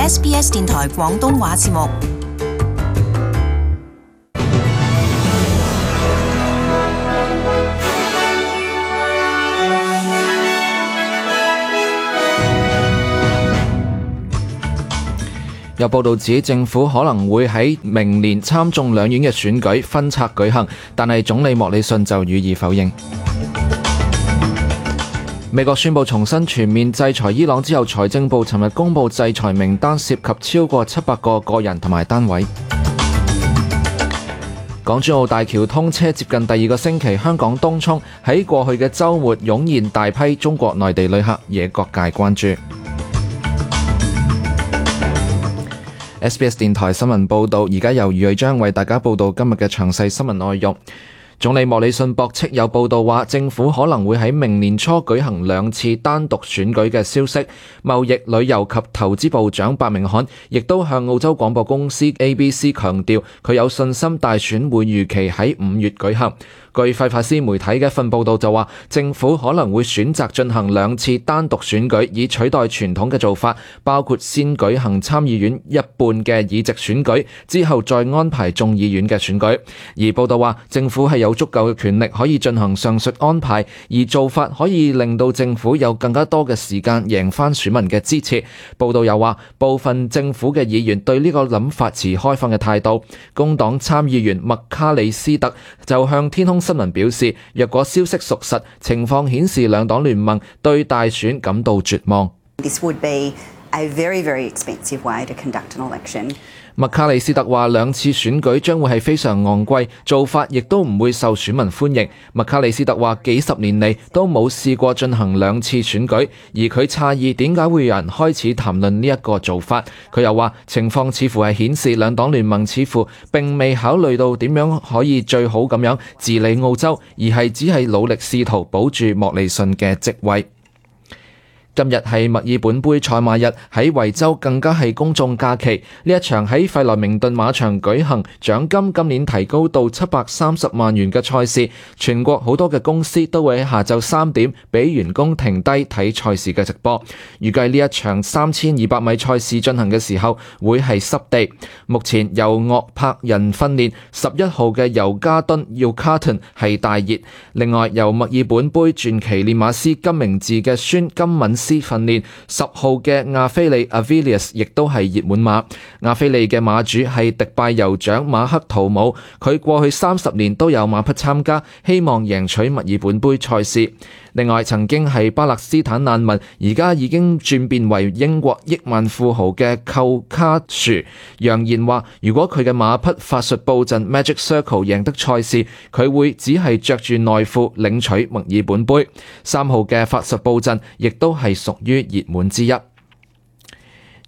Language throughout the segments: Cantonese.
SBS 電台廣東話節目。有報道指政府可能會喺明年參眾兩院嘅選舉分拆舉行，但係總理莫里遜就予以否認。美國宣布重新全面制裁伊朗之後，財政部尋日公布制裁名單，涉及超過700個個人同埋單位。港珠澳大橋通車接近第2個星期，香港東涌喺過去嘅週末湧現大批中國內地旅客，惹各界關注。SBS 電台新聞報導，而家由余瑞章為大家報導今日嘅詳細新聞內容。總理莫里遜駁斥有報道話政府可能會喺明年初舉行2次單獨選舉嘅消息。貿易、旅遊及投資部長白明漢亦都向澳洲廣播公司 ABC 強調，佢有信心大選會如期喺5月舉行。據費法斯媒體嘅一份報道就話，政府可能會選擇進行2次單獨選舉，以取代傳統嘅做法，包括先舉行參議院一半嘅議席選舉，之後再安排眾議院嘅選舉。而報道話，政府係有足夠嘅權力可以進行上述安排，而做法可以令到政府有更加多嘅時間贏返選民嘅支持。報道又話，部分政府嘅議員對呢個諗法持開放嘅態度。工黨參議員麥卡里斯特就向天空新聞表示，若果消息屬實，情況顯示兩黨聯盟對大選感到絕望。This would be a very, very expensive way to conduct an election. 麥卡里斯特話2次選舉將會係非常昂貴，做法亦都唔會受選民歡迎。麥卡里斯特話幾十年嚟都冇試過進行2次選舉，而佢詫異點解會有人開始談論呢一個做法。佢又話情況似乎係顯示兩黨聯盟似乎並未考慮到點樣可以最好咁樣治理澳洲，而係只係努力試圖保住莫里遜嘅職位。今日係墨爾本杯賽馬日，喺維州更加係公眾假期。呢一場喺費萊明頓馬場舉行，獎金今年提高到730萬元嘅賽事，全國好多嘅公司都會喺下晝3點俾員工停低睇賽事嘅直播。預計呢一場3200米賽事進行嘅時候會係濕地。目前由岳柏人訓練11號嘅尤加敦要卡頓係大熱，另外由墨爾本杯傳奇練馬師金明治嘅孫金敏訓練10號嘅亞菲利 Avilius 亦都係熱門馬。亞菲利嘅馬主係迪拜酋長馬克圖姆，佢過去30年都有馬匹參加，希望贏取墨爾本杯賽事。另外曾經係巴勒斯坦難民，而家已經轉變為英國億萬富豪嘅寇卡殊揚言話，如果佢嘅馬匹法術布陣 Magic Circle 贏得賽事，佢會只係着住內褲領取墨爾本杯。3號嘅法術布陣亦都係屬於熱門之一。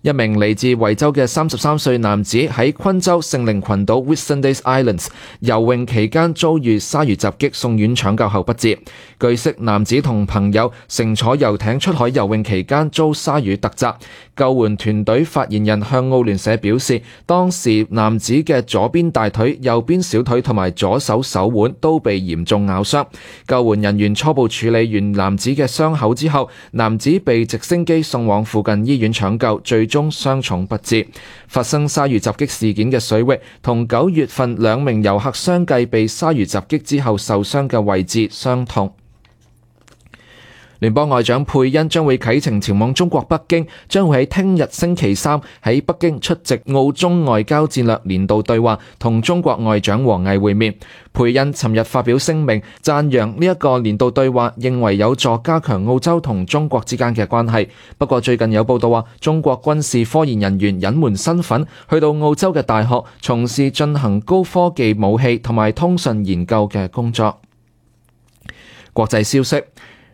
一名嚟自維州嘅33歲男子喺昆州聖靈群島 Whitsundays Islands 游泳期間遭遇鯊魚襲擊，送院搶救後不治。據悉，男子同朋友乘坐遊艇出海游泳期間遭鯊魚突襲。救援團隊發言人向澳聯社表示，當時男子嘅左邊大腿、右邊小腿同埋左手手腕都被嚴重咬傷。救援人員初步處理完男子嘅傷口之後，男子被直升機送往附近醫院搶救，最終傷重不治。發生鯊魚襲擊事件嘅水域同9月份2名遊客相繼被鯊魚襲擊之後受傷嘅位置相同。聯邦外長佩恩將會啟程前往中國北京，將會喺聽日星期3喺北京出席澳中外交戰略年度對話，同中國外長王毅會面。佩恩尋日發表聲明，讚揚呢一個年度對話，認為有助加強澳洲同中國之間嘅關係。不過最近有報道話，中國軍事科研人員隱瞞身份，去到澳洲嘅大學從事進行高科技武器同埋通訊研究嘅工作。國際消息。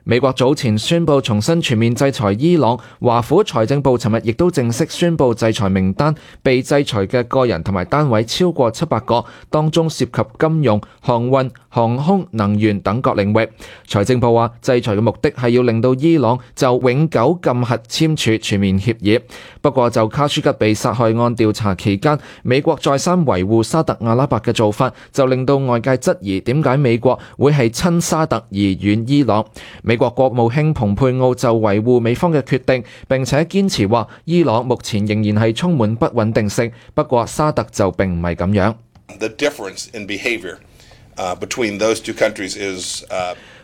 美國早前宣布重新全面制裁伊朗，華府財政部尋日亦都正式宣布制裁名單，被制裁嘅個人同埋單位超過700個，當中涉及金融、航運、航空、能源等各領域。財政部話，制裁嘅目的係要令到伊朗就永久禁核簽署全面協議。不過就卡舒吉被殺害案調查期間，美國再三維護沙特阿拉伯嘅做法，就令到外界質疑點解美國會係親沙特而遠伊朗。美美國國務卿蓬佩奧就維護美方嘅決定，並且堅持話伊朗目前仍然係充滿不穩定性，不過沙特就並唔係咁樣。The difference in behavior between those two countries is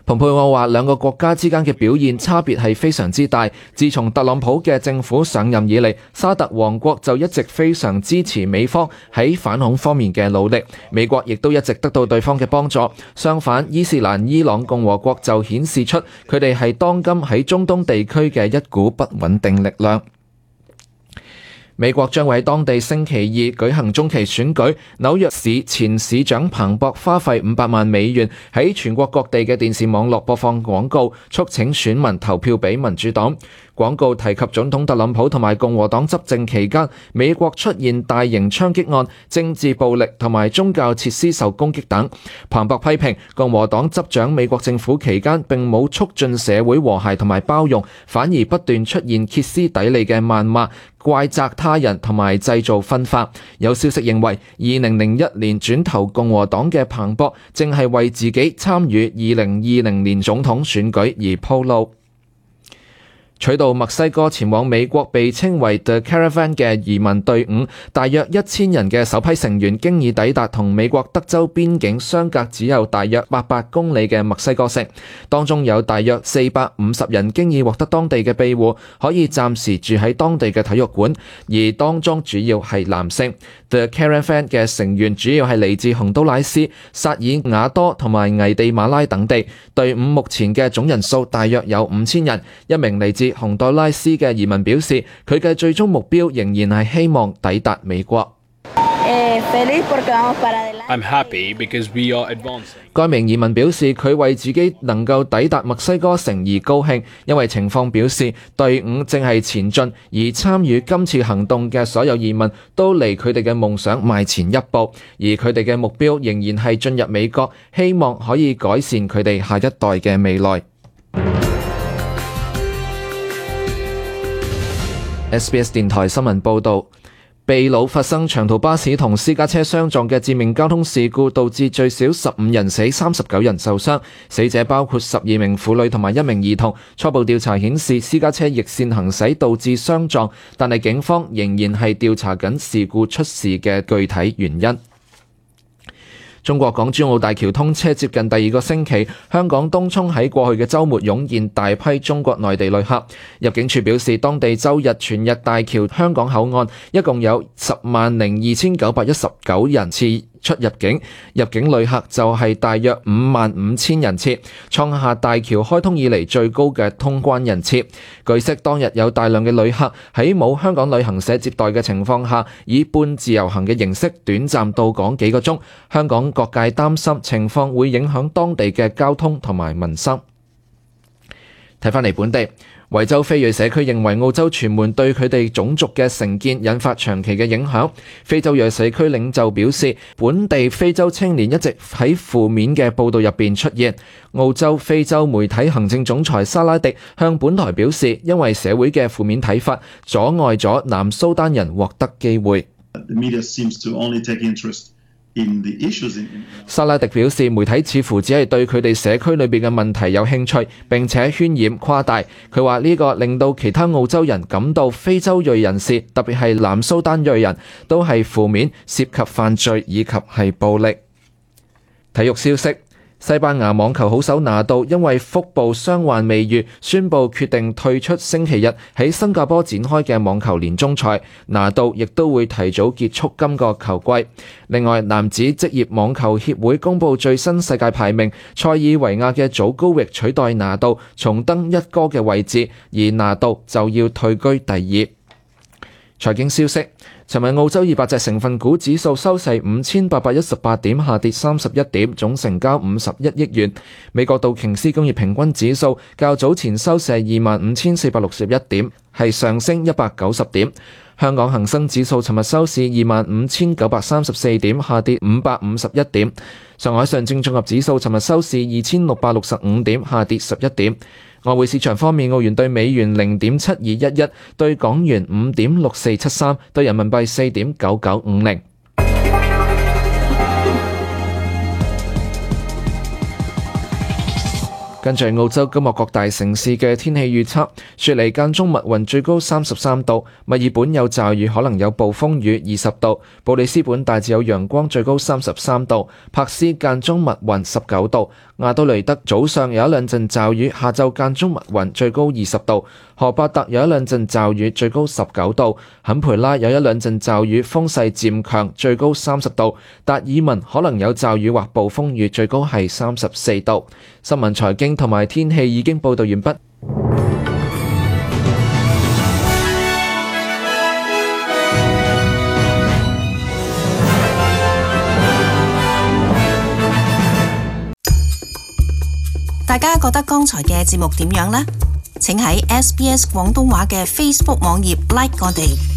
蓬佩奧話兩個國家之間嘅表現差別係非常之大。自從特朗普嘅政府上任以嚟，沙特王國就一直非常支持美方喺反恐方面嘅努力，美國亦都一直得到對方嘅幫助。相反，伊斯蘭伊朗共和國就顯示出佢哋係當今喺中東地區嘅一股不穩定力量。美國將會喺當地星期二舉行中期選舉，紐約市前市長彭博花費500萬美元喺全國各地嘅電視網絡播放廣告，促請選民投票俾民主黨。廣告提及總統特朗普同埋共和黨執政期間，美國出現大型槍擊案、政治暴力同埋宗教設施受攻擊等。彭博批評共和黨執掌美國政府期間並冇促進社會和諧同埋包容，反而不斷出現歇斯底里嘅謾罵、怪責他人同埋製造分化。有消息認為，2001年轉投共和黨嘅彭博正係為自己參與2020年總統選舉而鋪路。取道墨西哥前往美國被稱為 The Caravan 嘅移民隊伍，大約1000人嘅首批成員經已抵達同美國德州邊境相隔只有大約800公里嘅墨西哥城，當中有大約450人經已獲得當地嘅庇護，可以暫時住喺當地嘅體育館，而當中主要係男性。The Caravan 嘅成員主要係嚟自洪都拉斯、薩爾瓦多同埋危地馬拉等地，隊伍目前嘅總人數大約有5000人。一名嚟自洪都拉斯嘅移民表示，佢嘅最終目標仍然係希望抵達美國。I'm happy because we are advancing. 該名移民表示，佢為自己能夠抵達墨西哥城而高興，因為情況表示隊伍正係前進，而參與今次行動嘅所有移民都離佢哋嘅夢想邁前一步，而佢哋嘅目標仍然係進入美國，希望可以改善佢哋下一代嘅未來。SBS 電台新聞報導。秘魯發生長途巴士同私家車相撞嘅致命交通事故，導致最少15人死，39人受傷。死者包括12名婦女同埋1名兒童。初步調查顯示私家車逆線行駛導致相撞，但係警方仍然係調查緊事故出事嘅具體原因。中國港珠澳大橋通車接近第2個星期，香港東涌喺過去嘅週末湧現大批中國內地旅客。入境處表示，當地週日全日大橋香港口岸一共有102919人次出入境，入境旅客就係大約55000人次，創下大橋開通以嚟最高嘅通關人次。據悉，當日有大量嘅旅客喺冇香港旅行社接待嘅情況下，以半自由行嘅形式短暫到港幾個鐘。香港各界擔心情況會影響當地嘅交通同埋民生。睇返嚟本地，維州非裔社區認為澳洲傳媒對佢哋種族嘅成見引發長期嘅影響。非洲裔社區領袖表示，本地非洲青年一直喺負面嘅報導入邊出現。澳洲非洲媒體行政總裁沙拉迪向本台表示，因為社會嘅負面睇法阻礙咗南蘇丹人獲得機會。沙拉迪表示，媒體似乎只係對佢哋社區裏邊嘅問題有興趣，並且渲染誇大。佢話呢個令到其他澳洲人感到非洲裔人士，特別係南蘇丹裔人都係負面，涉及犯罪以及係暴力。體育消息。西班牙網球好手拿度因為腹部傷患未愈，宣布決定退出星期日喺新加坡展開嘅網球年終賽。拿度亦都會提早結束今個球季。另外，男子職業網球協會公布最新世界排名，塞爾維亞嘅祖高域取代拿度重登一哥嘅位置，而拿度就要退居第2。財經消息。尋日澳洲200隻成分股指數收市5818點，下跌31點，總成交51億元。美國道瓊斯工業平均指數較早前收市25461點，係上升190點。香港恒生指數尋日收市25934點，下跌551點。上海上證綜合指數尋日收市2665點，下跌11點。外匯市場方面，澳元對美元0.7211，對港元5.6473，對人民幣4.9950。跟住澳洲今日各大城市嘅天氣預測：雪梨間中密雲，最高33度；墨爾本有驟雨，可能有暴風雨，20度；布里斯本大致有陽光，最高33度；柏斯間中密雲，19度；亞都雷德早上有一兩陣驟雨，下晝間中密雲，最高20度；荷伯特有一兩陣驟雨，最高19度；坎培拉有一兩陣驟雨，風勢漸強，最高30度；達爾文可能有驟雨或暴風雨，最高係34度。新聞財經同埋天氣已經報道完畢。大家覺得剛才嘅節目點樣呢？請喺SBS 廣東話嘅 Facebook 網頁 like 我哋。